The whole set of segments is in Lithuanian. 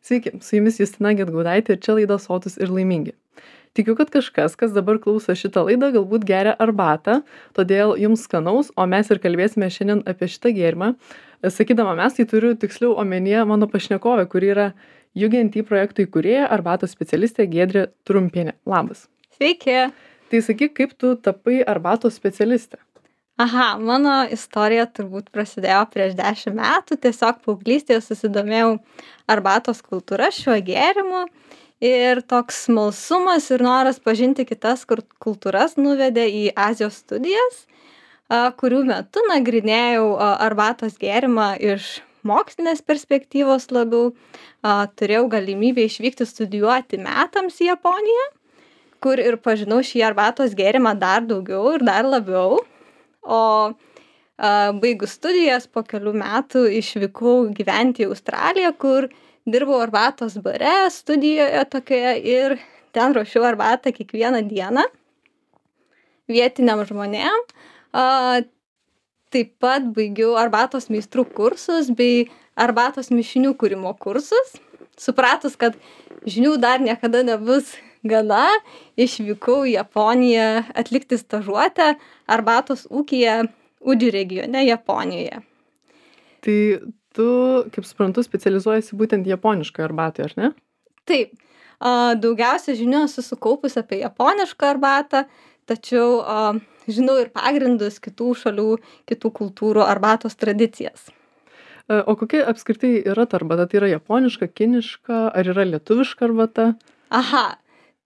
Sveiki, su jumis Justina Gedgaudaitė ir čia laida Sotūs ir laimingi. Tikiu, kad kažkas, kas dabar klauso šitą laidą, galbūt geria arbatą, todėl jums skanaus, o mes ir kalbėsime šiandien apie šitą gėrimą. Sakydama mes, tai turiu tiksliau omenyje mano pašnekovę, kuri yra UGNT projektų įkūrėja, arbatos specialistė Giedrė Trumpienė. Labas. Sveiki. Tai sakyk, kaip tu tapai arbatos specialistė? Aha, mano istorija turbūt prasidėjo prieš 10 metų. Tiesiog paauglystėje susidomėjau arbatos kultūra, šiuo gėrimu. Ir toks smalsumas ir noras pažinti kitas kultūras nuvedė į Azijos studijas, kurių metu nagrinėjau arbatos gėrimą iš mokslinės perspektyvos labiau. Turėjau galimybę išvykti studijuoti metams į Japoniją, kur ir pažinau šį arbatos gėrimą dar daugiau ir dar labiau. O baigus studijas po kelių metų išvykau gyventi į Australiją, kur dirbau arbatos bare, studijoje tokioje ir ten ruošiau arbatą kiekvieną dieną vietiniam žmonėm. Taip pat baigiau arbatos meistrų kursus bei arbatos mišinių kūrimo kursus. Supratus, kad žinių dar niekada nebus gana, išvykau į Japoniją atlikti stažuotę arbatos ūkyje Udži regione Japonijoje. Tai tu, kaip suprantu, specializuojasi būtent japoniškai arbatai, ar ne? Taip. Daugiausia žinių esu sukaupus apie japonišką arbatą, tačiau žinau ir pagrindus kitų šalių, kitų kultūrų arbatos tradicijas. O kokia apskritai yra ta arbata? Tai yra japoniška, kiniška, ar yra lietuviška arbata? Aha,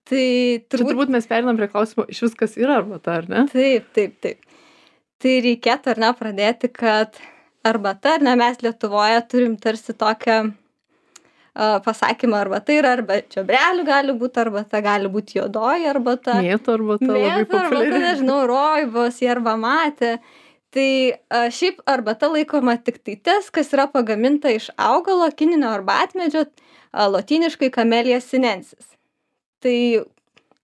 tai turbūt mes perinam prie klausimo, iš viskas yra arbata, ar ne? Taip. Tai reikėtų ar ne pradėti, kad arbata, ar ne, mes Lietuvoje turim tarsi tokią pasakymą arbata yra arba čiobrelių gali būti arbata, gali būti juodoji arbata. Mėtų arbata labai populiari. Arbata, nežinau, roibos, jerba matė. Tai šiaip arbata laikoma tik tai tas, kas yra pagaminta iš augalo kininio arbatmedžio, lotyniškai Camellia sinensis. Tai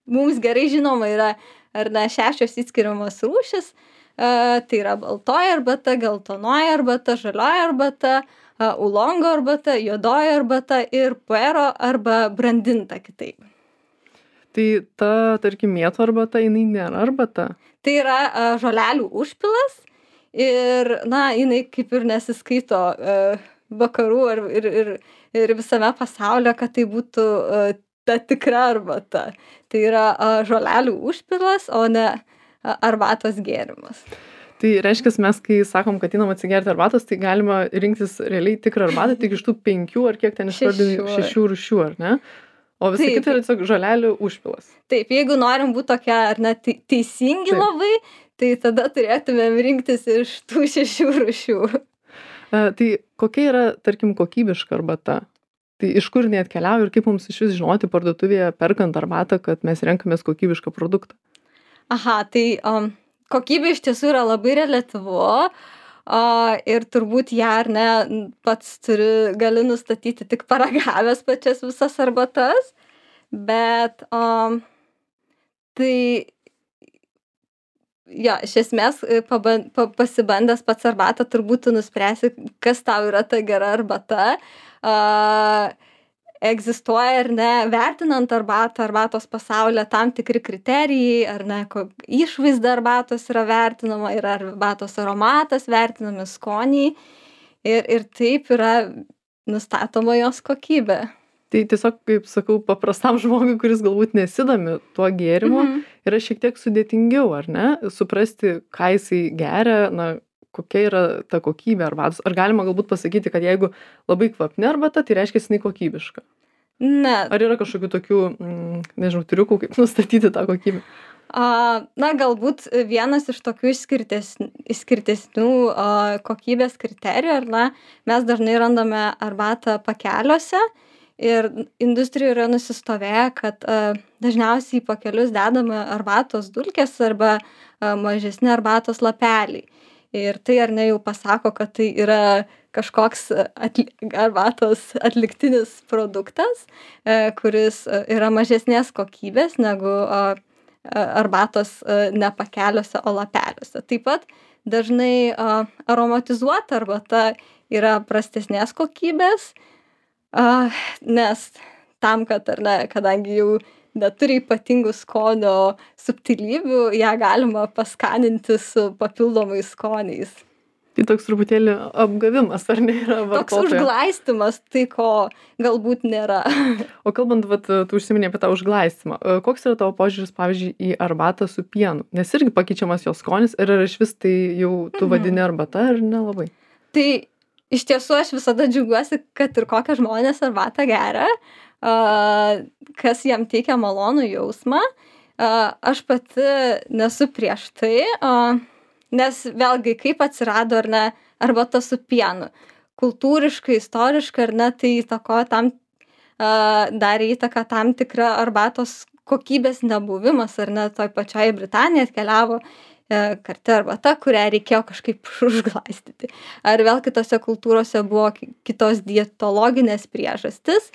mums gerai žinoma yra, ar ne, 6 įskiriamos rūšis. Tai yra baltoji arbata, geltonoji arbata, žalioji arbata, ulongo arbata, juodoji arbata ir puero arba brandinta kitaip. Tai ta, tarkim, mėtų arbata, jinai nėra arbata? Tai yra žolelių užpilas ir, na, jinai kaip ir nesiskaito vakarų ir visame pasaulio, kad tai būtų ta tikra arbata. Tai yra žolelių užpilas, o ne arbatos gėrimas. Tai reiškia, mes, kai sakom, kad einam atsigerti arbatos, tai galima rinktis realiai tikrą arbatą tik iš tų 5 ar kiek ten išvardinti 6 rūšių, ar ne? O visa kita yra tiesiog žolelių užpilas. Taip, jeigu norim būti tokia, ar ne, teisingi labai, tai tada turėtumėm rinktis iš tų 6 rūšių. Tai kokia yra, tarkim, kokybiška arbata? Tai iš kur jinai atkeliauja ir kaip mums iš vis žinoti parduotuvėje perkant arbatą, kad mes renkamės kokybišką produktą? Aha, tai kokybė iš tiesų yra labai reliatyvu ir turbūt ją, ar ne, pats gali nustatyti tik paragavęs pačias visas arbatas, bet tai jo, iš esmės pasibandęs pats arbatą turbūt tu nuspręsi, kas tau yra ta gera arbata. Egzistuoja, ar ne, vertinant arbatą, arbatos pasaulyje tam tikri kriterijai, ar ne, išvaizda arbatos yra vertinama, yra arbatos aromatas, vertinami skoniai ir taip yra nustatoma jos kokybė. Tai tiesiog, kaip sakau, paprastam žmogui, kuris galbūt nesidomi tuo gėrimu, yra šiek tiek sudėtingiau, ar ne, suprasti, ką jisai geria, na, kokia yra ta kokybė arbatos. Ar galima galbūt pasakyti, kad jeigu labai kvapni arbata, tai reiškia, jinai kokybiška? Ne. Ar yra kažkokių tokių, nežinau, triukų, kaip nustatyti tą kokybę? Na, galbūt vienas iš tokių išskirtesnių kokybės kriterijų, ar ne, mes dažnai randame arbatą pakeliuose ir industrijoje yra nusistovėję, kad dažniausiai į pakelius dedame arbatos dulkės arba mažesni arbatos lapeliai. Ir tai ar ne jau pasako, kad tai yra kažkoks arbatos atliktinis produktas, kuris yra mažesnės kokybės negu arbatos ne pakeliuose, o lapeliuose. Taip pat dažnai aromatizuota arbata yra prastesnės kokybės, Nes tam, kad ar ne, kadangi jau neturi ypatingų skonio subtilybių, ją galima paskaninti su papildomais skoniais. Tai toks truputėlį apgavimas, ar ne, yra Toks vartotojo? užglaistymas, tai ko galbūt nėra. O kalbant, vat, tu užsiminei apie tą užglaistymą. Koks yra tavo požiūris, pavyzdžiui, į arbatą su pienu? Nes irgi pakeičiamas jos skonis, ir ar išvis tai jau tu vadini arbata, ar nelabai? Tai iš tiesų aš visada džiaugiuosi, kad ir kokią žmonės arbatą geria, kas jam teikia malonų jausmą. Aš pati nesu prieš tai, nes vėlgi kaip atsirado ar ne arbata su pienu. Kultūriškai, istoriškai ar ne, tai įtakojo darė įtaką tam tikra arbatos kokybės nebuvimas, ar ne, toj pačioj Britanijai atkeliavo karti arbata, kurią reikėjo kažkaip užglaistyti. Ar vėl kitose kultūrose buvo kitos dietologinės priežastis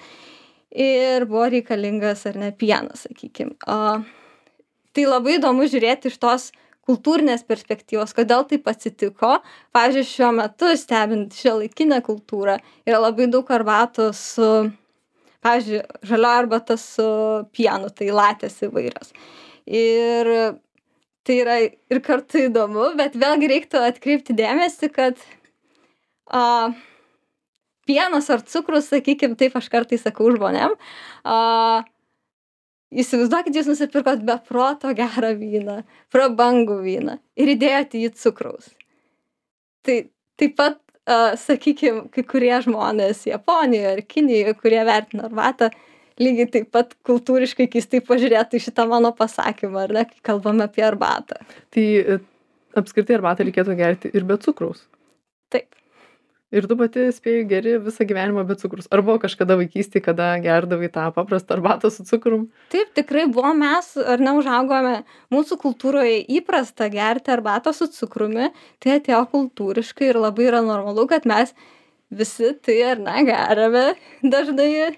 ir buvo reikalingas ar ne pienas, sakykim. Tai labai įdomu žiūrėti iš tos kultūrinės perspektyvos, kodėl taip atsitiko. Pavyzdžiui, šiuo metu stebint šiuolaikinę kultūrą yra labai daug arbatos su, pavyzdžiui, žalioji arbata su pienu, tai latės įvairios. Ir tai yra ir kartu įdomu, bet vėlgi reiktų atkreipti dėmesį, kad pienas ar cukrus, sakykim, taip aš kartais sakau žmonėm, įsivaizduokit, jūs nusipirkot be proto gerą vyną, prabangų vyną ir įdėjote į cukraus. Tai taip pat, sakykim, kai kurie žmonės Japonijoje ar Kinijoje, kurie vertina arbatą, lygiai taip pat kultūriškai keistai pažiūrėtų į šitą mano pasakymą, ar ne, kai kalbame apie arbatą. Tai apskritai arbatą reikėtų gerti ir be cukraus. Taip. Ir tu pati spėjai geri visą gyvenimą be cukrus. Ar buvo kažkada vaikystėje, kada gerdavai tą paprastą arbatą su cukrum? Taip, tikrai buvo, mes ar neužaugome, mūsų kultūroje įprasta gerti arbatą su cukrumi, tai atėjo kultūriškai ir labai yra normalu, kad mes visi tai ar ne geriame dažnai,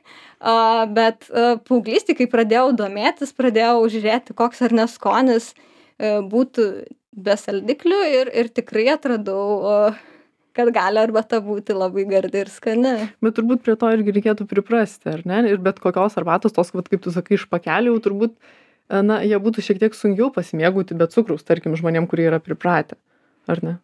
bet paauglystėje, kai pradėjau domėtis, pradėjau žiūrėti, koks ar neskonis būtų be saldiklių ir tikrai atradau, kad gali arbata būti labai gardi ir skani. Bet turbūt prie to irgi reikėtų priprasti, ar ne? Ir bet kokios arbatos, tos, kaip tu sakai, iš pakelių, turbūt, na, jie būtų šiek tiek sunkiau pasimėgauti be cukraus, tarkim, žmonėm, kurie yra pripratę, ar ne?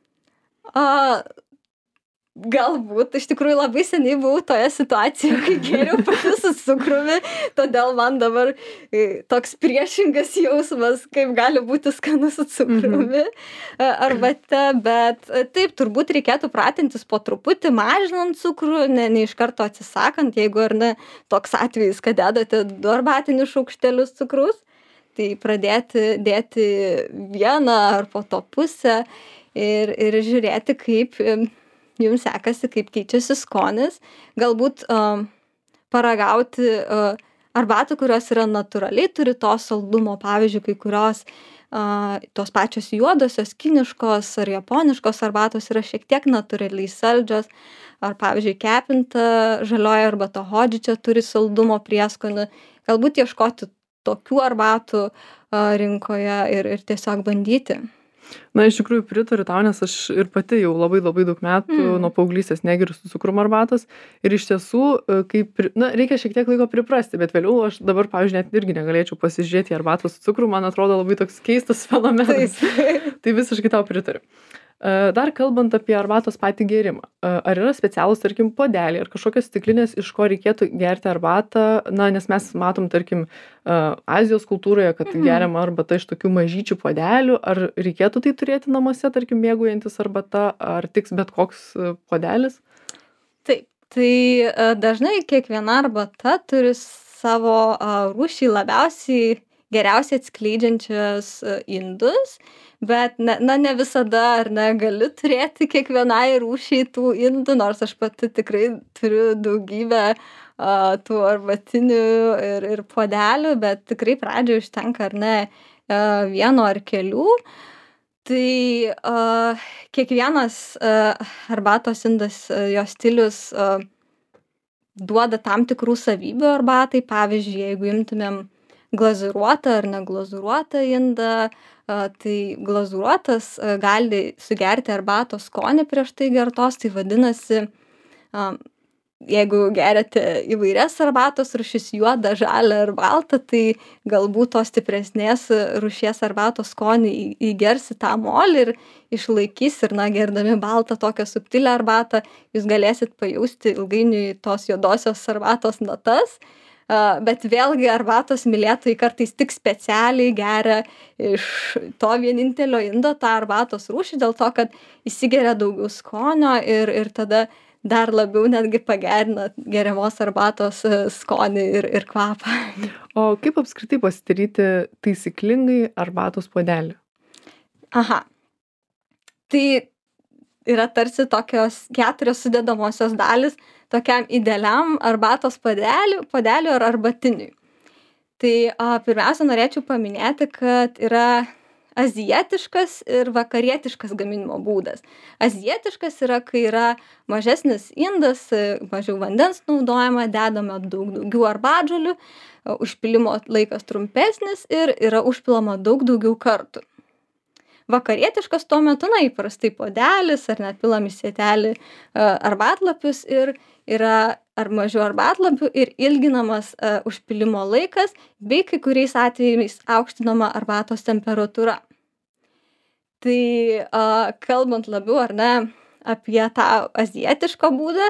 Galbūt, iš tikrųjų labai seniai buvau toje situacijoje, kai geriau pati su cukrumi, todėl man dabar toks priešingas jausmas, kaip gali būti skanu su cukrumi arbate, bet taip, turbūt reikėtų pratintis po truputį, mažinant cukrų, ne iš karto atsisakant, jeigu ar ne toks atvejis, kad dedate 2 arbatinius šaukštelius cukraus, tai pradėti dėti 1 ar po to pusę ir žiūrėti, kaip jums sekasi, kaip keičiasi skonis, galbūt paragauti arbatų, kurios yra natūraliai, turi to saldumo, pavyzdžiui, kai kurios tos pačios juodosios, kiniškos ar japoniškos arbatos yra šiek tiek natūraliai saldžios, ar pavyzdžiui, kepinta žalioji arbata hodžičia turi saldumo prieskonį, galbūt ieškoti tokių arbatų rinkoje ir tiesiog bandyti. Na, iš tikrųjų pritariu tau, nes aš ir pati jau labai daug metų nuo paauglystės negeriu su cukrum arbatos. Ir iš tiesų, reikia šiek tiek laiko priprasti, bet vėliau aš dabar, pavyzdžiui, net irgi negalėčiau pasižiūrėti į arbatą su cukru, man atrodo labai toks keistas fenomenas. Tai visiškai tau pritariu. Dar kalbant apie arbatos patį gėrimą, ar yra specialūs, tarkim, podeliai ar kažkokios stiklinės, iš ko reikėtų gerti arbatą, na, nes mes matom, tarkim, Azijos kultūroje, kad geriama arbata iš tokių mažyčių podelių, ar reikėtų tai turėti namuose, tarkim, mėgaujantis arbata, ar tiks bet koks podelis? Taip, tai dažnai kiekviena arbata turi savo rūšį geriausiai atskleidžiančias indus, bet ne visada ar negali turėti kiekvienai rūšiai tų indų, nors aš pati tikrai turiu daugybę tų arbatinių ir podelių, bet tikrai pradžioje užtenka ar ne 1 ar kelių. Tai kiekvienas arbatos indas, jos stilius duoda tam tikrų savybių arbatai. Pavyzdžiui, jeigu imtumėm glazūruotą ar neglazūruotą indą, tai glazūruotas gali sugerti arbatos skonį prieš tai gertos, tai vadinasi jeigu geriate įvairias arbatos rūšis, juodą, žalią ar baltą, tai galbūt tos stipresnės rūšies arbatos skonį įgers į tą molį ir išlaikys ir, na, gerdami baltą tokią subtilią arbatą, jūs galėsit pajausti ilgainiui tos juodosios arbatos natas. Bet vėlgi arbatos mylėtojai kartais tik specialiai geria iš to vienintelio indo tą arbatos rūšį, dėl to, kad įsigeria daugiau skonio ir tada dar labiau netgi pagerina geriamos arbatos skonį ir kvapą. O kaip apskritai pasidaryti taisyklingai arbatos puodelį? Aha. Tai yra tarsi tokios 4 sudedamosios dalys tokiam idealiam arbatos puodeliui ar arbatiniui. Tai pirmiausia, norėčiau paminėti, kad yra azijietiškas ir vakarietiškas gaminimo būdas. Azijietiškas yra, kai yra mažesnis indas, mažiau vandens naudojama, dedama daugiau arbatžolių, užpilimo laikas trumpesnis ir yra užpilama daugiau kartų. Vakarietiškas tuo metu, na, įprastai puodelis ar net pilam į sietelį arbatlapius ir yra ar mažiau arbatlapių ir ilginamas užpilimo laikas, bei kai kuriais atvejais aukštinama arbatos temperatūra. Tai kalbant labiau ar ne apie tą azijietišką būdą,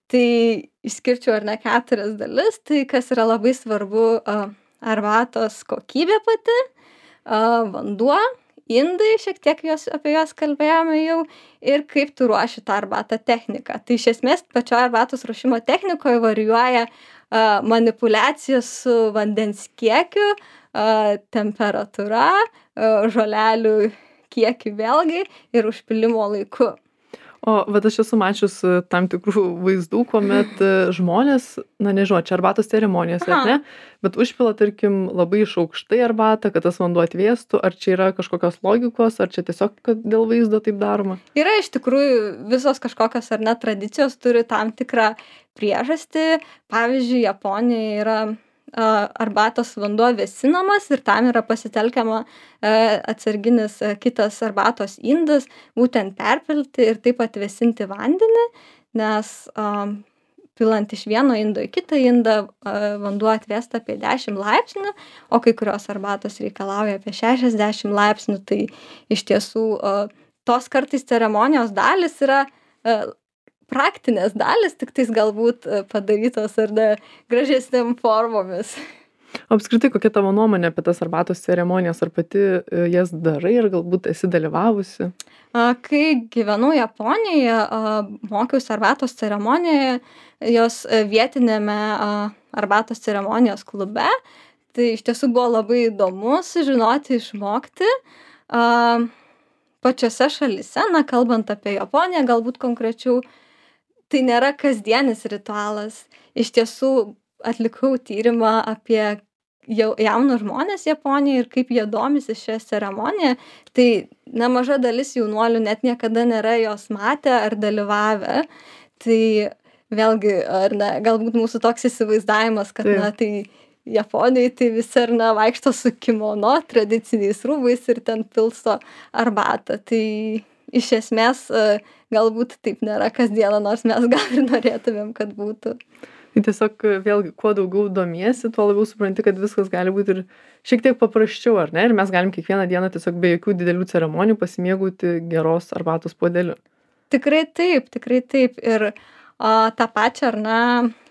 tai išskirčiau ar ne 4 dalis, tai kas yra labai svarbu arbatos kokybė pati, vanduo, indai, šiek tiek apie juos kalbėjome jau, ir kaip tu ruoši tą arbatą techniką. Tai iš esmės pačioje arbatos ruošimo technikoje varijuoja manipuliacija su vandens kiekiu, temperatūra, žolelių kiekiu vėlgi ir užpilimo laiku. O vat aš esu mačius tam tikrų vaizdų, kuomet žmonės, na nežinau, čia arbatos ceremonijose, ar ne, bet užpila, tarkim, labai iš aukštai arbatą, kad tas vanduo atvėstų, ar čia yra kažkokios logikos, ar čia tiesiog dėl vaizdo taip daroma? Yra iš tikrųjų visos kažkokios ar ne tradicijos turi tam tikrą priežastį. Pavyzdžiui, Japonijoje yra arbatos vanduo vėsinamas ir tam yra pasitelkiama atsarginis kitas arbatos indas, būtent perpilti ir taip atvėsinti vandenį, nes pilant iš vieno indo į kitą indą vanduo atvėsta apie 10 laipsnių, o kai kurios arbatos reikalauja apie 60 laipsnių, tai iš tiesų tos kartais ceremonijos dalis yra praktinės dalis, tik tais galbūt padarytos ar ne gražesnėm formomis. O apskritai, kokia tavo nuomonė apie tas arbatos ceremonijas, ar pati jas darai, ar galbūt esi dalyvavusi? Kai gyvenau Japonijoje, mokiausi arbatos ceremonijoje, jos vietinėme arbatos ceremonijos klube, tai iš tiesų buvo labai įdomu sužinoti, išmokti. Pačiose šalyse, na, kalbant apie Japoniją, galbūt konkrečiau, tai nėra kasdienis ritualas. Iš tiesų atlikau tyrimą apie jaunus žmonės Japonijoje ir kaip jie domisi šią ceremoniją. Tai nemaža dalis jaunuolių net niekada nėra jos matę ar dalyvavę. Tai vėlgi, ar ne, galbūt mūsų toks įsivaizdavimas, kad na, tai Japonijoje tai visi ar ne vaikšto su kimono, tradiciniais rūbais ir ten pilsto arbatą. Tai iš esmės galbūt taip nėra kasdieną, nors mes gal ir norėtumėm, kad būtų. Tai tiesiog vėlgi, kuo daugiau domiesi, tuo labiau supranti, kad viskas gali būti ir šiek tiek paprasčiau, ar ne? Ir mes galim kiekvieną dieną tiesiog be jokių didelių ceremonijų pasimėgauti geros arbatos puodeliu. Tikrai taip, tikrai taip. Ir tą pačią, ar ne,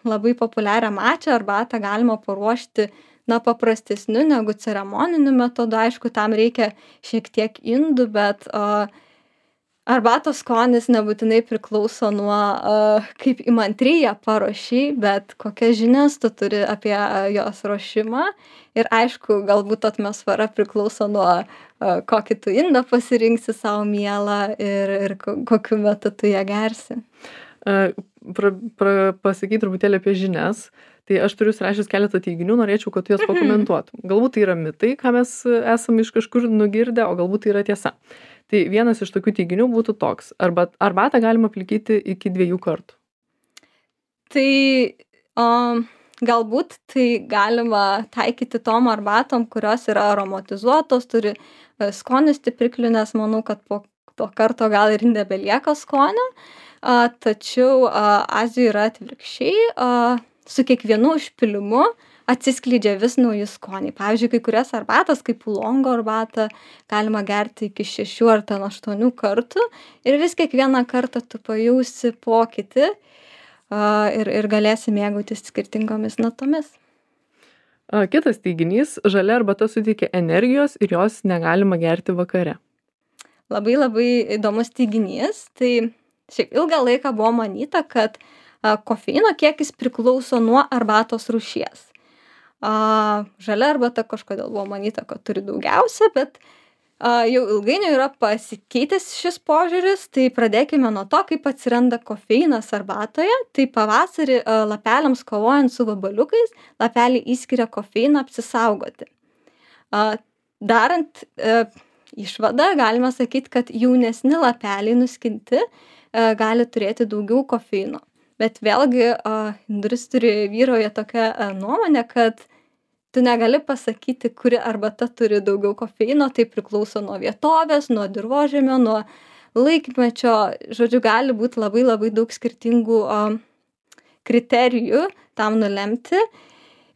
labai populiarią mačią arbatą galima paruošti na, paprastesniu negu ceremoniniu metodu. Aišku, tam reikia šiek tiek indų, bet arbatos skonis nebūtinai priklauso nuo kaip įmantriai ją paruošei, bet kokias žinias tu turi apie jos ruošimą. Ir aišku, galbūt atmosfera priklauso nuo kokį tu indą pasirinksi savo mielą ir kokiu metu tu ją gersi. Pasakyt truputėlį apie žinias. Tai aš turiu surašęs keletą teiginių, norėčiau, kad tu jas pakomentuotum. Galbūt tai yra mitai, ką mes esame iš kažkur nugirdę, o galbūt tai yra tiesa. Tai vienas iš tokių teiginių būtų toks. Arbatą galima plikyti iki 2 kartų. Tai galbūt tai galima taikyti tom arbatom, kurios yra aromatizuotos, turi skonio stipriklių, nes manau, kad po to karto gal ir nebelieka skonio. tačiau Azijoje yra atvirkščiai, su kiekvienu užpilimu atsiskleidžia vis nauji skoniai. Pavyzdžiui, kai kurias arbatas, kaip ulongo arbatą, galima gerti iki 6 ar 8 kartų ir vis kiekvieną kartą tu pajausi pokytį ir galėsi mėgautis skirtingomis natomis. Kitas teiginys, žalia arbata suteikia energijos ir jos negalima gerti vakare. Labai labai įdomus teiginys. Tai šiaip ilgą laiką buvo manyta, kad kofeino kiekis priklauso nuo arbatos rūšies. Žalia arbata kažkodėl buvo manyta, kad turi daugiausia, bet jau ilgainiui yra pasikeitęs šis požiūris. Tai pradėkime nuo to, kaip atsiranda kofeinas arbatoje. Tai pavasarį lapeliams kovojant su vabaliukais, lapeliai įskiria kofeiną apsisaugoti. Darant išvadą, galima sakyti, kad jaunesni lapeliai nuskinti gali turėti daugiau kofeino. Bet vėlgi industrijoj vyrauja tokia nuomonė, kad tu negali pasakyti, kuri arbata turi daugiau kofeino, tai priklauso nuo vietovės, nuo dirvožemio, nuo laikmečio. Žodžiu, gali būti labai labai daug skirtingų kriterijų tam nulemti.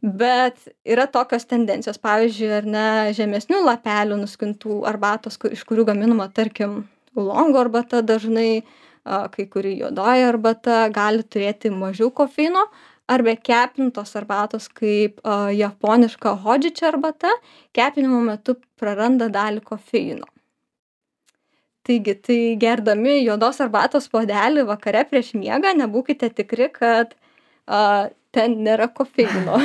Bet yra tokios tendencijos, pavyzdžiui, ar ne, žemesnių lapelių nuskintų arbatos, iš kurių gaminama, tarkim, ulongo arbata dažnai, kai kuri juodoji arbata gali turėti mažiau kofeino, arba kepintos arbatos kaip japoniška hodžičia arbata, kepinimo metu praranda dalį kofeino. Taigi, tai gerdami juodos arbatos puodelį vakare prieš miegą, nebūkite tikri, kad ten nėra kofeino.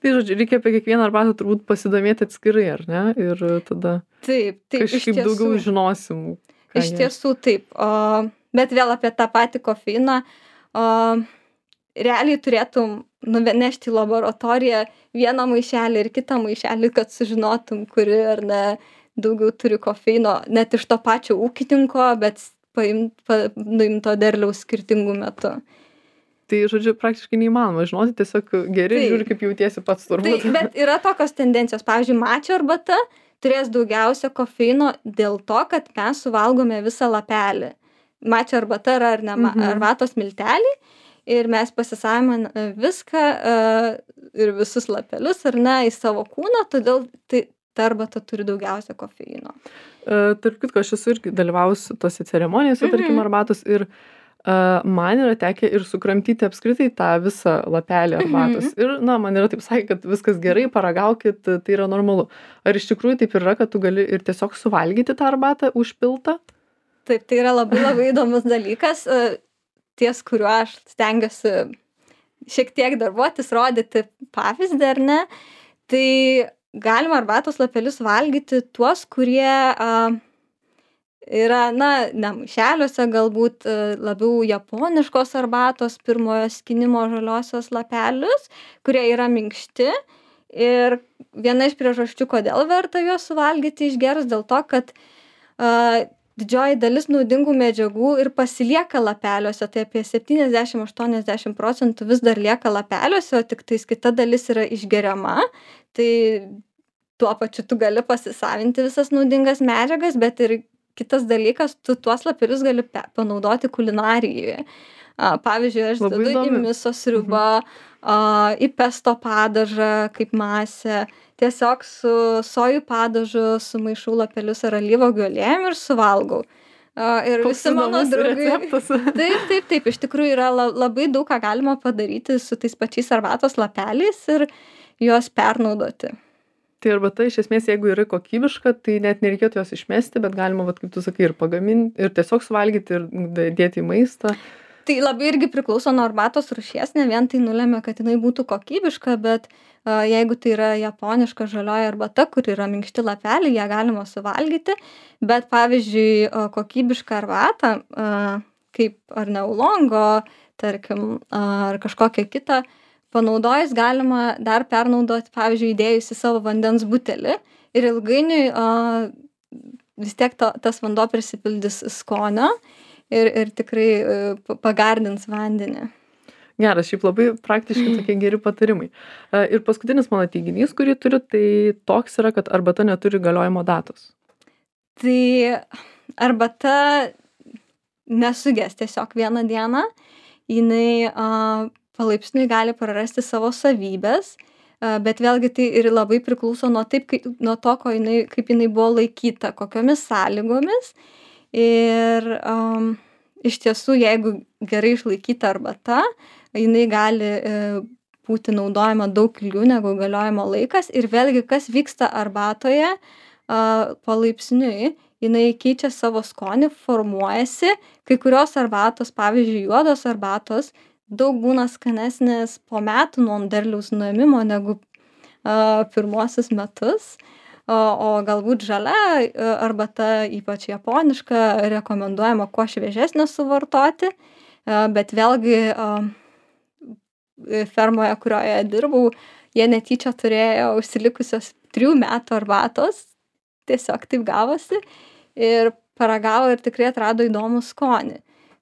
Tai žodžiu, reikia apie kiekvieną arbatą turbūt pasidomėti atskirai, ar ne? Ir tada taip, kažkaip daugiau žinosim. Iš tiesų taip. Bet vėl apie tą patį kofeiną. Realiai turėtum nunešti į laboratoriją vieną maišelį ir kitą maišelį, kad sužinotum, kuri ar ne daugiau turi kofeino, net iš to pačio ūkininko, bet nuimto derliaus skirtingų metų. Tai, žodžiu, praktiškai neįmanoma žinoti, tiesiog geri žiūri, kaip jautiesi pats turbūt. Tai, bet yra tokios tendencijos. Pavyzdžiui, mačio arbata turės daugiausia kofeino dėl to, kad mes suvalgome visą lapelį. Mačio arbata yra arbatos miltelį ir mes pasisaviname viską ir visus lapelius ar ne į savo kūną, todėl ta arbata turi daugiausia kofeino. Tarp kitko, aš esu irgi dalyvaus tose ceremonijose, tarkim, arbatos ir man yra tekę ir sukramtyti apskritai tą visą lapelį arbatos. Ir, man yra taip sakė, kad viskas gerai, paragaukit, tai yra normalu. Ar iš tikrųjų taip yra, kad tu gali ir tiesiog suvalgyti tą arbatą užpiltą? Taip, tai yra labai labai įdomus dalykas, ties kuriuo aš stengiuosi šiek tiek darbuotis, rodyti pavyzdį, ar ne. Tai galima arbatos lapelius valgyti tuos, kurie yra, ne maišeliuose, galbūt labiau japoniškos arbatos pirmojo skinimo žaliosios lapelius, kurie yra minkšti. Ir viena iš priežasčių, kodėl verta juos suvalgyti išgerus, dėl to, kad didžioji dalis naudingų medžiagų ir pasilieka lapeliuose, tai apie 70-80% vis dar lieka lapeliuose, o tik tais kita dalis yra išgeriama. Tai tuo pačiu tu gali pasisavinti visas naudingas medžiagas, bet ir kitas dalykas, tu tuos lapelius gali panaudoti kulinarijoje. Pavyzdžiui, aš dedu į miso sriubą, į pesto padažą kaip masę, tiesiog su sojų padažu sumaišau lapelius ar alyvuogių aliejum ir suvalgau. Ir visi mano draugai. Taip, iš tikrųjų yra labai daug ką galima padaryti su tais pačiais arbatos lapeliais ir juos pernaudoti. Tai arbata iš esmės, jeigu yra kokybiška, tai net nereikėtų jos išmesti, bet galima, kaip tu sakai, ir pagaminti, ir tiesiog suvalgyti, ir dėti į maistą. Tai labai irgi priklauso nuo arbatos rūšies, ne vien tai nulemia, kad jinai būtų kokybiška, bet jeigu tai yra japoniška žalioji arbata, kur yra minkšti lapeliai, ją galima suvalgyti, bet pavyzdžiui, kokybišką arbatą, kaip ar ne ulongo, tarkim, ar kažkokią kitą, panaudojus galima dar pernaudoti, pavyzdžiui, įdėjus į savo vandens butelį ir ilgainiui vis tiek tas vanduo prisipildys skonio ir tikrai pagardins vandenį. Geras, šiaip labai praktiškai tokie geri patarimai. Ir paskutinis mano teiginys, kurį turiu, tai toks yra, kad arbata neturi galiojimo datos. Tai arbata nesuges tiesiog vieną dieną, jinai palaipsniui gali prarasti savo savybes, bet vėlgi tai ir labai priklauso nuo nuo to, kaip jinai buvo laikyta, kokiomis sąlygomis. Ir iš tiesų, jeigu gerai išlaikyta arbata, jinai gali būti naudojama daug ilgiau negu galiojimo laikas. Ir vėlgi, kas vyksta arbatoje palaipsniui, jinai keičia savo skonį, formuojasi. Kai kurios arbatos, pavyzdžiui, juodos arbatos, daug būna skanesnės po metų nuo derliaus nuėmimo negu pirmuosius metus. O galbūt žalia arbata, ypač japoniška, rekomenduojama kuo šviežesnę suvartoti. Bet vėlgi fermoje, kurioje dirbau, jie netyčia turėjo užsilikusios 3 metų arbatos. Tiesiog taip gavosi. Ir paragavo ir tikrai atrado įdomų skonį.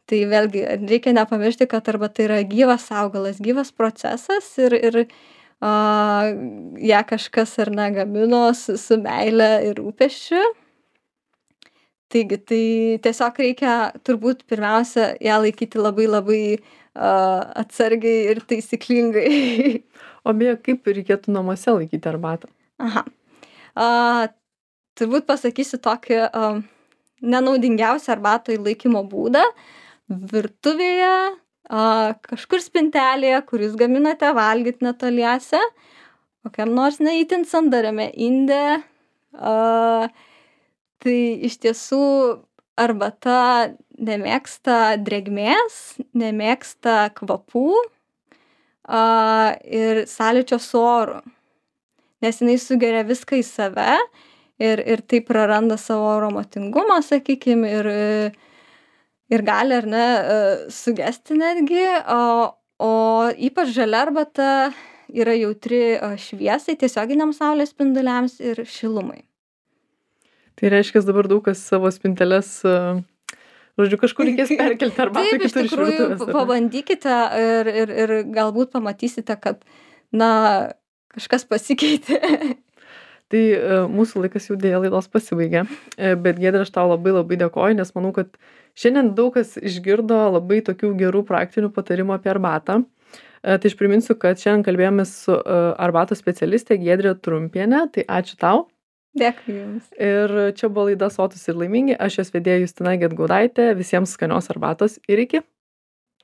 Tai vėlgi reikia nepamiršti, kad arbata yra gyvas augalas, gyvas procesas ir ją kažkas ar ne gamino su meile ir rūpesčiu. Taigi, tai tiesiog reikia turbūt pirmiausia ją laikyti labai labai atsargiai ir taisyklingai. O beje, kaip reikėtų namuose laikyti arbatą? Aha. Turbūt pasakysiu tokį nenaudingiausią arbatoj laikymo būdą. Virtuvėje, kažkur spintelėje, kur jūs gaminate valgyti netoliese, kokiam nors neįtin sandariame inde. Tai iš tiesų arbata nemėgsta drėgmės, nemėgsta kvapų ir sąlyčio su oru, nes jinai sugeria viską į save ir taip praranda savo aromatingumą, sakykime, ir gali ar ne sugesti netgi, o ypač žalia arbata yra jautri šviesai, tiesioginiams saulės spinduliams ir šilumai. Tai reiškia, dabar daug kas savo spinteles, žodžiu, kažkur reikės perkelti arbatą kitur iš virtuvės. Taip, iš tikrųjų, pabandykite ir galbūt pamatysite, kad, kažkas pasikeitė. Tai mūsų laikas jau dėja laidos pasibaigė, bet Giedre, aš tau labai labai dėkoju, nes manau, kad šiandien daug kas išgirdo labai tokių gerų praktinių patarimų apie arbatą. Tai aš priminsiu, kad šiandien kalbėjomės su arbatos specialistė Giedre Trumpienė, tai ačiū tau. Dėkui Jums. Ir čia buvo laida Sotūs ir laimingi, aš jos vedėja Justina Gedgaudaitė, visiems skanios arbatos ir iki.